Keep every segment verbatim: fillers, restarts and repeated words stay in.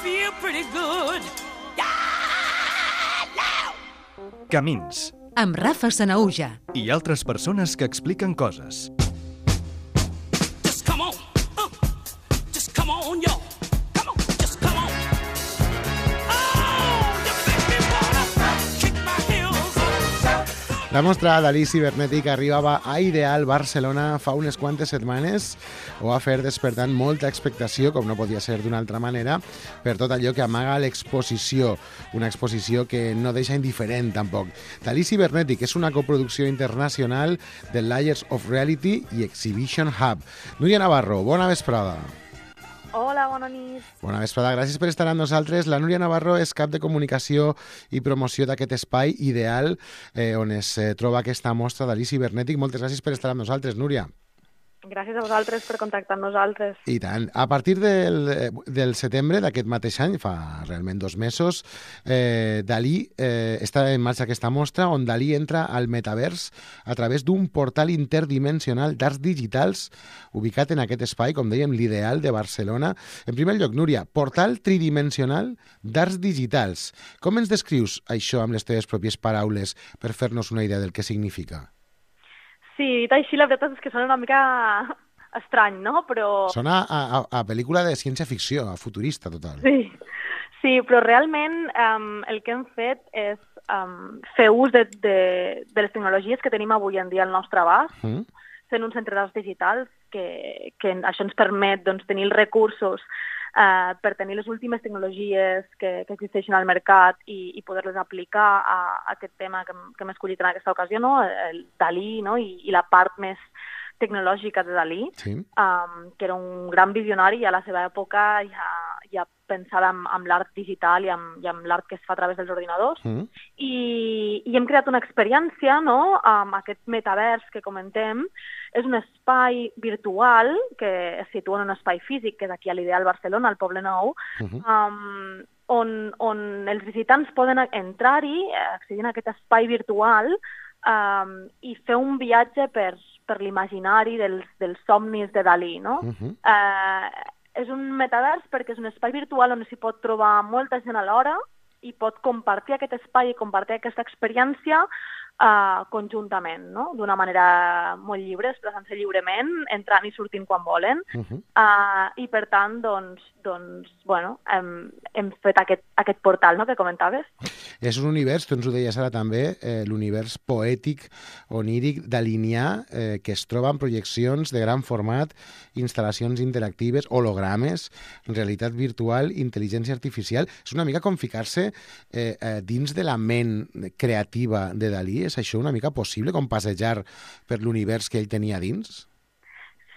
feel pretty good. Yeah, now. Camins. Amb Rafa Sanahuja. I altres persones que expliquen coses. Just come on. Uh, just come on, yo. Come on, just come on. Oh, you make me wanna kick my heels up. La mostra Dalí Cibernètic arribava a Ideal Barcelona fa unes quantes setmanes. Ho va fer despertant molta expectació, com no podia ser d'una altra manera, per tot allò que amaga l'exposició. Una exposició que no deixa indiferent, tampoc. Dalí Cibernètic és una coproducció internacional de Layers of Reality i Exhibition Hub. Núria Navarro, bona vesprada. Hola, bona nit. Bona vesprada, gràcies per estar amb nosaltres. La Núria Navarro és cap de comunicació i promoció d'aquest espai Ideal, eh, on es eh, troba aquesta mostra Dalí Cibernètic. Moltes gràcies per estar amb nosaltres, Núria. Gràcies a vosaltres per contactar amb nosaltres. I tant. A partir del, del setembre d'aquest mateix any, fa realment dos mesos, eh, Dalí eh, està en marxa aquesta mostra on Dalí entra al metavers a través d'un portal interdimensional d'arts digitals ubicat en aquest espai, com dèiem, l'Ideal de Barcelona. En primer lloc, Núria, portal tridimensional d'arts digitals. Com ens descrius això amb les teves pròpies paraules per fer-nos una idea del que significa? Sí, dit així, la veritat és que sona una mica estrany, no? Però... Sona a, a, a pel·lícula de ciència-ficció, a futurista total. Sí, sí, però realment um, el que hem fet és um, fer ús de, de, de les tecnologies que tenim avui en dia al nostre abast, mm. fent un centre d'arts digitals que, que això ens permet doncs, tenir els recursos Uh, per tenir les últimes tecnologies que, que existeixen al mercat i, i poder-les aplicar a, a aquest tema que, que hem escollit en aquesta ocasió, no? El Dalí, no? I, i la part més tecnològica de Dalí, sí. um, que era un gran visionari i a la seva època ja, ja pensava en, en l'art digital i amb, i amb l'art que es fa a través dels ordinadors. Mm. I, I hem creat una experiència, no?, amb aquest metavers que comentem. És un espai virtual que es situa en un espai físic, que és aquí a l'Ideal Barcelona, al Poble Nou, uh-huh. um, on, on els visitants poden entrar-hi, accedir a aquest espai virtual um, i fer un viatge per, per l'imaginari dels, dels somnis de Dalí, no? Uh-huh. Uh, és un metavers perquè és un espai virtual on s'hi pot trobar molta gent alhora i pot compartir aquest espai i compartir aquesta experiència Uh, conjuntament, no? D'una manera molt lliure, expressant-se lliurement, entrant i sortint quan volen. Uh-huh. uh, I per tant, doncs, doncs bueno, hem, hem fet aquest, aquest portal, no?, que comentaves. És un univers, tu ens ho deies ara també, eh, l'univers poètic, oníric, dalinià, eh, que es troba en projeccions de gran format, instal·lacions interactives, hologrames, realitat virtual, intel·ligència artificial. És una mica com ficar-se eh, eh, dins de la ment creativa de Dalí. És això una mica possible, com passejar per l'univers que ell tenia dins?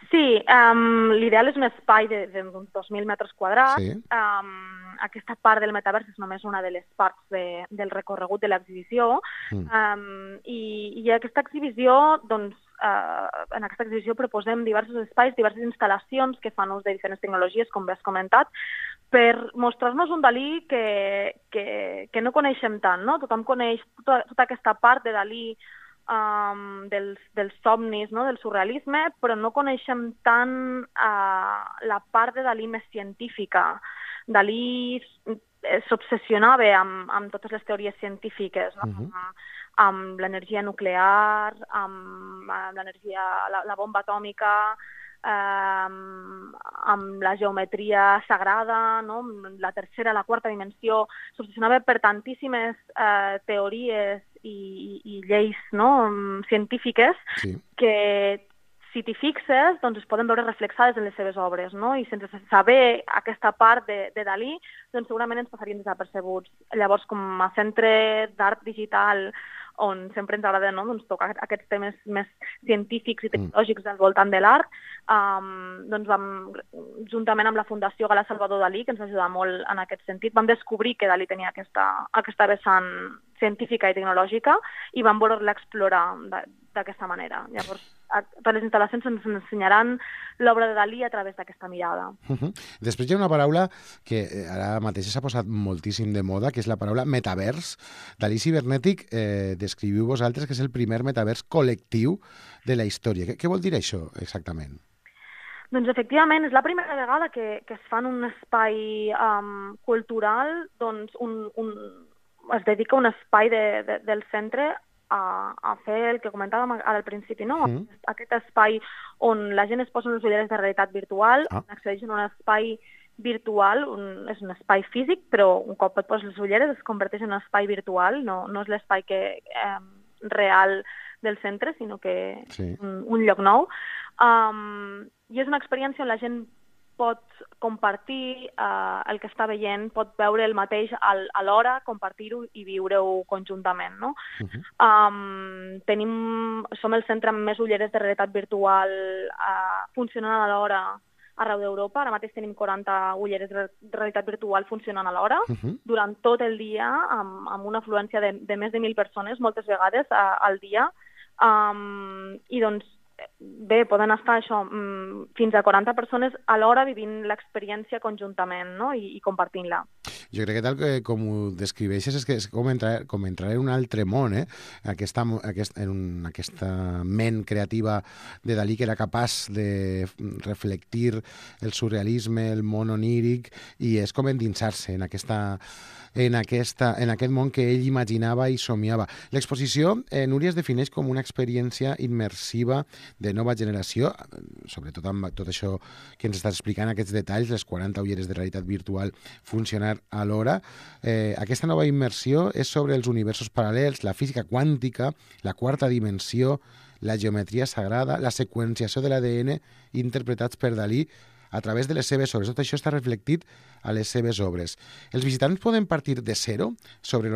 Sí, um, l'ideal és un espai d'uns dos mil metres quadrats. Sí. Um, aquesta part del metavers és només una de les parts de, del recorregut de l'exhibició. Mm. Um, i, I aquesta exhibició, doncs, uh, en aquesta exhibició proposem diversos espais, diverses instal·lacions que fan ús de diferents tecnologies, com bé has comentat, per mostrar-nos un Dalí que, que, que no coneixem tant, no? Tothom coneix tota, tota aquesta part de Dalí um, dels, dels somnis, no? Del surrealisme, però no coneixem tant uh, la part de Dalí més científica. Dalí s'obsessionava amb, amb totes les teories científiques, no? Uh-huh. amb, amb l'energia nuclear, amb, amb l'energia, la, la bomba atòmica, Um, amb la geometria sagrada, no? La tercera, la quarta dimensió, s'obsessionava per tantíssimes uh, teories i, i, i lleis, no?, científiques, sí. que si t'hi fixes, doncs es poden veure reflexades en les seves obres, no? I sense saber aquesta part de, de Dalí, doncs segurament ens passarien desapercebuts. Llavors, com a centre d'art digital, on sempre ens agrada, no?, doncs, tocar aquests temes més científics i tecnològics al voltant de l'art, um, doncs vam, juntament amb la Fundació Gala Salvador Dalí, que ens va ajudar molt en aquest sentit, vam descobrir que Dalí tenia aquesta, aquesta vessant científica i tecnològica i vam voler-la explorar d'aquesta manera. Llavors, per les instal·lacions ens ensenyaran l'obra de Dalí a través d'aquesta mirada. Uh-huh. Després hi ha una paraula que ara mateix s'ha posat moltíssim de moda, que és la paraula metavers. Dalí Cibernètic, eh, descriviu vosaltres que és el primer metavers col·lectiu de la història. Què, què vol dir això exactament? Doncs efectivament, és la primera vegada que, que es fa en un espai um, cultural, doncs un, un, es dedica un espai de, de, del centre a, a fer el que comentàvem al principi, no? Mm. Aquest espai on la gent es posa unes ulleres de realitat virtual, ah. accedeix en un espai virtual, un, és un espai físic, però un cop et poses les ulleres es converteix en un espai virtual, no, no és l'espai que, eh, real del centre, sinó que sí. un, un lloc nou. Um, I és una experiència on la gent pot compartir uh, el que està veient, pot veure el mateix al, alhora, compartir-ho i viure-ho conjuntament, no? Uh-huh. um, tenim, som el centre amb més ulleres de realitat virtual uh, funcionant alhora arreu d'Europa. Ara mateix tenim quaranta ulleres de realitat virtual funcionant alhora, uh-huh. durant tot el dia, amb, amb una afluència de, de més de mil persones, moltes vegades uh, al dia. Um, I doncs, bé, poden estar això, fins a quaranta persones alhora vivint l'experiència conjuntament, no? I, i compartint-la. Jo crec que tal que, com ho descriveixes és que és com entrar, com entrar en un altre món, eh? Aquesta, aquest, en un, aquesta ment creativa de Dalí que era capaç de reflectir el surrealisme, el món oníric, i és com endinsar-se en aquesta... En, aquesta, en aquest món que ell imaginava i somiava. L'exposició, eh, Núria, es defineix com una experiència immersiva de nova generació, sobretot amb tot això que ens estàs explicant, aquests detalls, les quaranta ulleres de realitat virtual funcionar alhora. Eh, aquesta nova immersió és sobre els universos paral·lels, la física quàntica, la quarta dimensió, la geometria sagrada, la seqüenciació de l'A D N interpretats per Dalí a través de les seves obres. Tot això està reflectit a les seves obres. Els visitants poden partir de zero sobre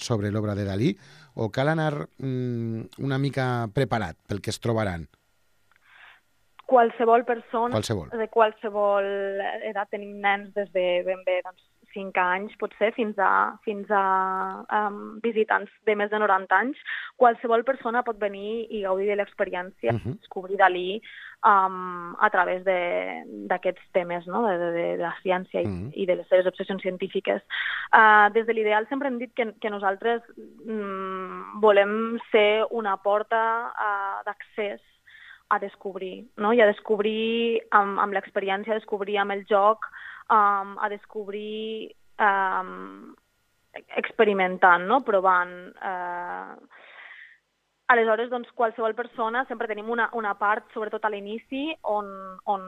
sobre l'obra de Dalí o cal anar mm, una mica preparat pel que es trobaran? Qualsevol persona, qualsevol. de qualsevol edat, tenim nens des de ben bé doncs, cinc anys, potser, fins a, fins a um, visitants de més de noranta anys. Qualsevol persona pot venir i gaudir de l'experiència, uh-huh. descobrir Dalí um, a través d'aquests temes, no? de, de, de la ciència i, uh-huh. i de les seves obsessions científiques. Uh, des de l'Ideal sempre hem dit que, que nosaltres um, volem ser una porta uh, d'accés a descobrir, no? I a descobrir amb, amb l'experiència, a descobrir amb el joc, um, a descobrir um, experimentant, no? Provant. Uh... Aleshores, doncs, qualsevol persona, sempre tenim una, una part, sobretot a l'inici, on, on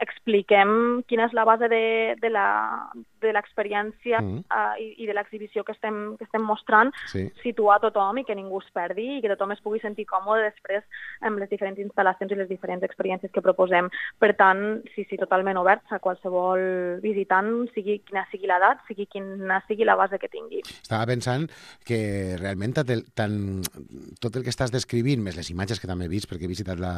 expliquem quina és la base de, de l'experiència mm. uh, i, i de l'exhibició que estem, que estem mostrant, sí. situar tothom i que ningú es perdi i que tothom es pugui sentir còmode després amb les diferents instal·lacions i les diferents experiències que proposem. Per tant, sí, sí, totalment oberts a qualsevol visitant, sigui quina sigui l'edat, sigui quina sigui la base que tingui. Estava pensant que realment tant, tot el que estàs descrivint, més les imatges que també he vist, perquè he visitat la,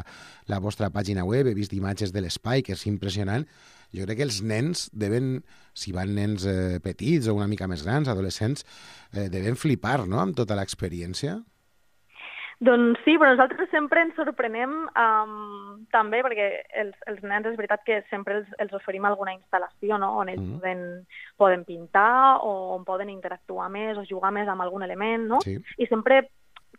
la vostra pàgina web, he vist imatges de l'espai, que és impressionant. Jo crec que els nens deben, si van nens eh, petits o una mica més grans, adolescents, eh, deben flipar, no?, amb tota l'experiència. Doncs sí, però nosaltres sempre ens sorprenem um, també, perquè els, els nens és veritat que sempre els, els oferim alguna instal·lació, no?, on ells mm. poden, poden pintar o on poden interactuar més o jugar més amb algun element, no? Sí. I sempre,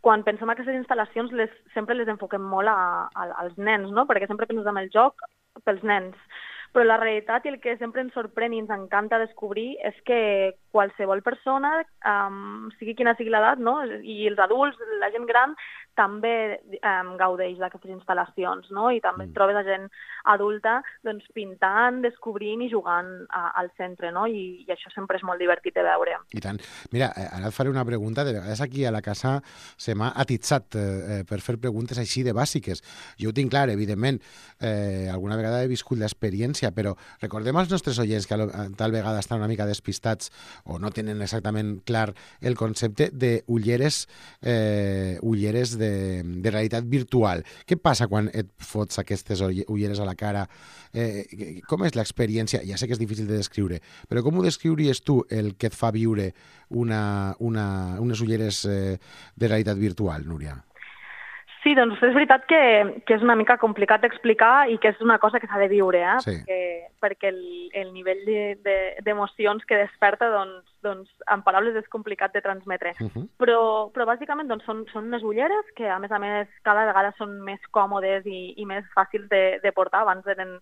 quan pensem en aquestes instal·lacions, les, sempre les enfoquem molt a, a, als nens, no? Perquè sempre pensem en el joc pels nens. Però la realitat i el que sempre ens sorprèn i ens encanta descobrir és que qualsevol persona, um, sigui quina sigui l'edat, no? I els adults, la gent gran, també um, gaudeix d'aquestes instal·lacions, no? I també mm. trobes a gent adulta doncs, pintant, descobrint i jugant a, al centre, no? I, I això sempre és molt divertit de veure. I tant. Mira, ara et faré una pregunta. De vegades aquí a la casa se m'ha atitzat eh, per fer preguntes així de bàsiques. Jo ho tinc clar, evidentment. Eh, alguna vegada he viscut l'experiència, però recordem als nostres oients que tal vegada estan una mica despistats o no tenen exactament clar el concepte d'ulleres eh, ulleres de De, de realitat virtual. Què passa quan et fots aquestes ulleres a la cara? Eh, com és l'experiència? Ja sé que és difícil de descriure, però com ho descriuries tu el que et fa viure una, una, unes ulleres eh, de realitat virtual, Núria? Sí, Sí, doncs és veritat que, que és una mica complicat d'explicar i que és una cosa que s'ha de viure, eh? Sí. perquè, perquè el, el nivell d'emocions de, de, que desperta, doncs, doncs, en paraules és complicat de transmetre. Uh -huh. però, però bàsicament doncs, són, són unes ulleres que, a més a més, cada vegada són més còmodes i, i més fàcils de, de portar. Abans eren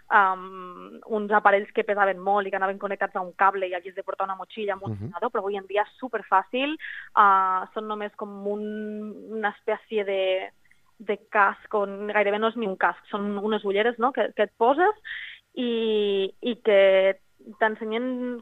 Um, uns aparells que pesaven molt i que anaven connectats a un cable i havies de portar una motxilla amb un Uh-huh. ordinador, però avui en dia és superfàcil. Uh, són només com un, una espècie de, de casc, on gairebé no és ni un casc, són unes ulleres, no?, que, que et poses i, i que t'ensenyen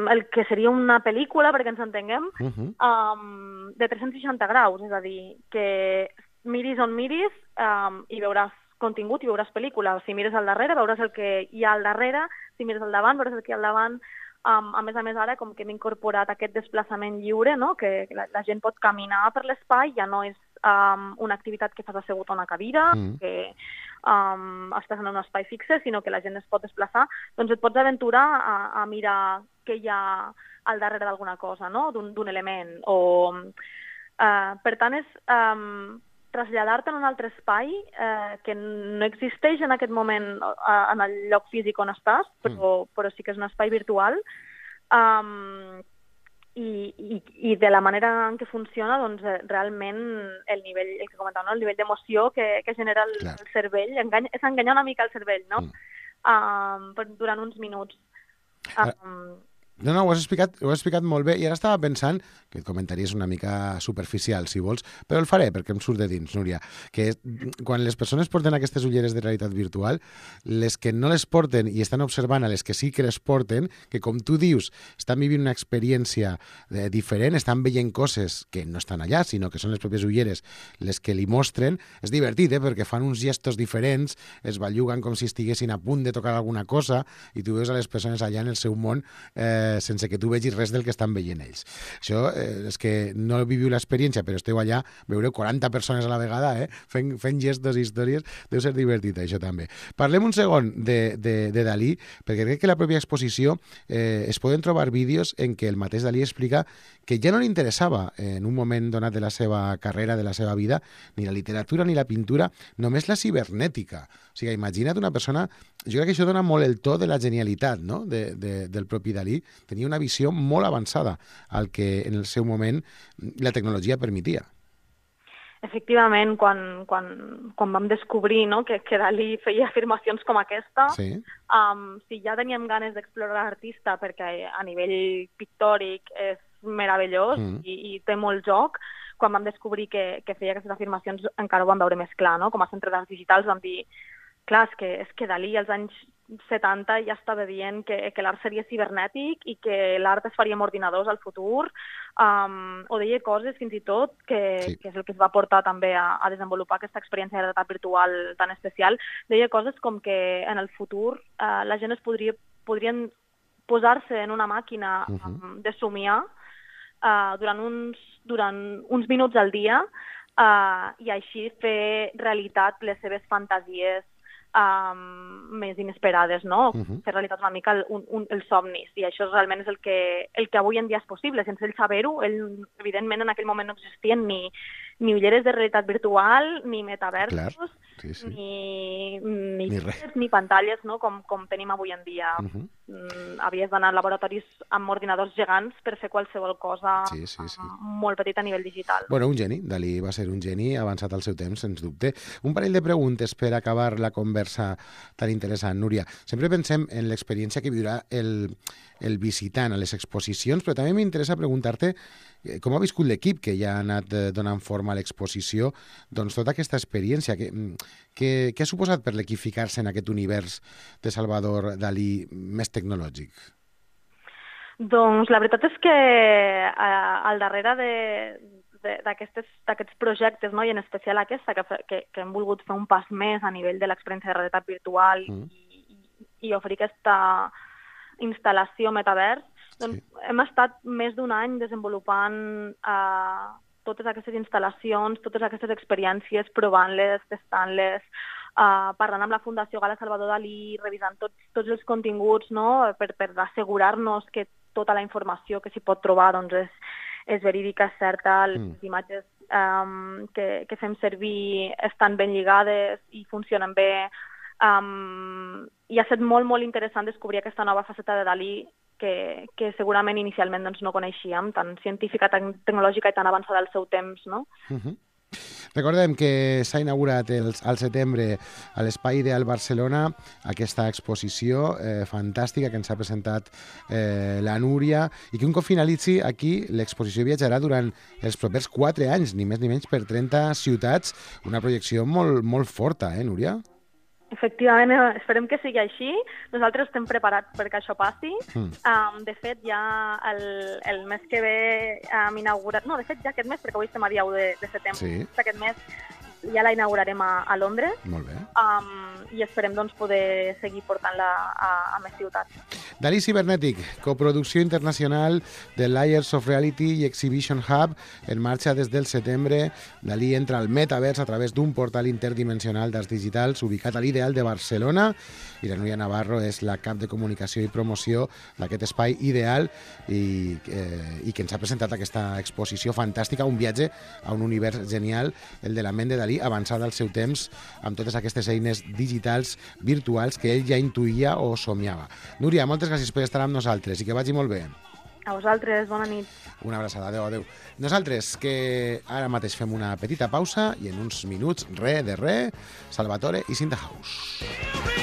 el que seria una pel·lícula, perquè ens entenguem, Uh-huh. um, de tres-cents seixanta graus, és a dir, que miris on miris um, i veuràs contingut i veuràs pel·lícula. Si mires al darrere, veuràs el que hi ha al darrere. Si mires al davant, veuràs el que hi ha al davant. Um, a més a més, ara, com que hem incorporat aquest desplaçament lliure, no?, que la, la gent pot caminar per l'espai, ja no és um, una activitat que fas assegut a una cadira, mm. que um, estàs en un espai fixe, sinó que la gent es pot desplaçar, doncs et pots aventurar a, a mirar què hi ha al darrere d'alguna cosa, no?, d'un element. O, uh, per tant, és... Um, traslladar-te en un altre espai eh, que no existeix en aquest moment eh, en el lloc físic on estàs, però, mm. però sí que és un espai virtual. Um, i, i, I de la manera en què funciona, doncs, realment el nivell, el que comentava, no? El nivell d'emoció que, que genera el, el cervell, enganya, és enganyar una mica el cervell, no? Mm. Um, durant uns minuts. Um, No, no, ho has explicat, ho has explicat molt bé i ara estava pensant, que et comentaries una mica superficial, si vols, però el faré perquè em surt de dins, Núria, que és, quan les persones porten aquestes ulleres de realitat virtual, les que no les porten i estan observant a les que sí que les porten, que com tu dius, estan vivint una experiència eh, diferent, estan veient coses que no estan allà, sinó que són les pròpies ulleres les que li mostren, és divertit, eh, perquè fan uns gestos diferents, es belluguen com si estiguessin a punt de tocar alguna cosa i tu veus a les persones allà en el seu món eh, sense que tu vegis res del que estan veient ells. Això eh, és que no viviu l'experiència, però esteu allà, veureu quaranta persones a la vegada, eh, fent, fent gestos i històries, deu ser divertit, això també. Parlem un segon de, de, de Dalí, perquè crec que la pròpia exposició eh, es poden trobar vídeos en què el mateix Dalí explica que ja no li interessava en un moment donat de la seva carrera, de la seva vida, ni la literatura ni la pintura, només la cibernètica. O sigui, imagina't una persona... Jo crec que això dona molt el to de la genialitat, no?, de, de, del propi Dalí. Tenia una visió molt avançada al que en el seu moment la tecnologia permetia. Efectivament, quan, quan, quan vam descobrir, no?, que, que Dalí feia afirmacions com aquesta, sí. um, si ja teníem ganes d'explorar l'artista perquè a nivell pictòric és meravellós mm. i, i té molt joc, quan vam descobrir que, que feia aquestes afirmacions encara ho vam veure més clar, no? Com a centre d'arts digitals vam dir, clar, és que, és que Dalí als anys setanta ja estava dient que, que l'art seria cibernètic i que l'art es faria amb ordinadors al futur, um, o deia coses fins i tot que, sí. que és el que es va portar també a, a desenvolupar aquesta experiència de realitat virtual tan especial. Deia coses com que en el futur uh, la gent es podria, podrien posar-se en una màquina uh-huh. um, de somiar uh, durant, uns, durant uns minuts al dia uh, i així fer realitat les seves fantasies Um, més inesperades, no? Uh-huh. Fer realitat una mica el, un, un, els somnis, i això realment és el que, el que avui en dia és possible. Sense ell saber-ho, ell, evidentment, en aquell moment no existien ni, ni ulleres de realitat virtual, ni metaversos, sí, sí. ni, ni, ni, ni pantalles, no? com, com tenim avui en dia. Uh-huh. Mm, havies d'anar a laboratoris amb ordinadors gegants per fer qualsevol cosa sí, sí, sí. molt petita a nivell digital. Bueno, un geni. Dalí va ser un geni avançat al seu temps, sens dubte. Un parell de preguntes per acabar la conversa tan interessant, Núria. Sempre pensem en l'experiència que viurà el, el visitant a les exposicions, però també m'interessa preguntar-te com ha viscut l'equip que ja ha anat donant forma a l'exposició, doncs tota aquesta experiència. Què, què, què ha suposat per l'equip ficar-se en aquest univers de Salvador Dalí més tecnològic? Doncs la veritat és que eh, al darrere de, d'aquests projectes, no? I en especial aquesta, que, que, que hem volgut fer un pas més a nivell de l'experiència de realitat virtual mm. i, i, i oferir aquesta instal·lació metavers, doncs sí. hem estat més d'un any desenvolupant eh, totes aquestes instal·lacions, totes aquestes experiències, provant-les, testant-les, eh, parlant amb la Fundació Gala Salvador Dalí, revisant tots, tots els continguts, no? per, per assegurar-nos que tota la informació que s'hi pot trobar doncs és, és verídica, és certa, les mm. imatges um, que, que fem servir estan ben lligades i funcionen bé. Um, I ha estat molt, molt interessant descobrir aquesta nova faceta de Dalí que, que segurament inicialment doncs, no coneixíem, tan científica, tan tecnològica i tan avançada al seu temps, no? Uh-huh. Recordem que s'ha inaugurat el, al setembre a l'Espai Ideal Barcelona aquesta exposició eh, fantàstica que ens ha presentat eh, la Núria i que un cop finalitzi aquí l'exposició viatjarà durant els propers quatre anys, ni més ni menys per trenta ciutats, una projecció molt, molt forta, eh, Núria? Efectivament, esperem que sigui així. Nosaltres estem preparats perquè això passi. Mm. Um, de fet, ja el, el mes que ve hem inaugurat... No, de fet, ja aquest mes, perquè avui estem a dia u de, de setembre. Sí. Aquest mes ja la inaugurarem a, a Londres. Molt bé. Um, I esperem doncs, poder seguir portant-la a, a més ciutats. Dalí Cibernètic, coproducció internacional de Layers of Reality i Exhibition Hub, en marxa des del setembre. Dalí entra al metavers a través d'un portal interdimensional d'arts digitals ubicat a l'Ideal de Barcelona i la Núria Navarro és la cap de comunicació i promoció d'aquest espai ideal i, eh, i que ens ha presentat aquesta exposició fantàstica, un viatge a un univers genial, el de la ment de Dalí, avançada al seu temps amb totes aquestes eines digitals virtuals que ell ja intuïa o somiava. Núria, moltes gràcies per estar amb nosaltres i que vagi molt bé. A vosaltres, bona nit. Una abraçada, adeu, adeu. Nosaltres, que ara mateix fem una petita pausa i en uns minuts, re de re, Salvatore i Cinta House.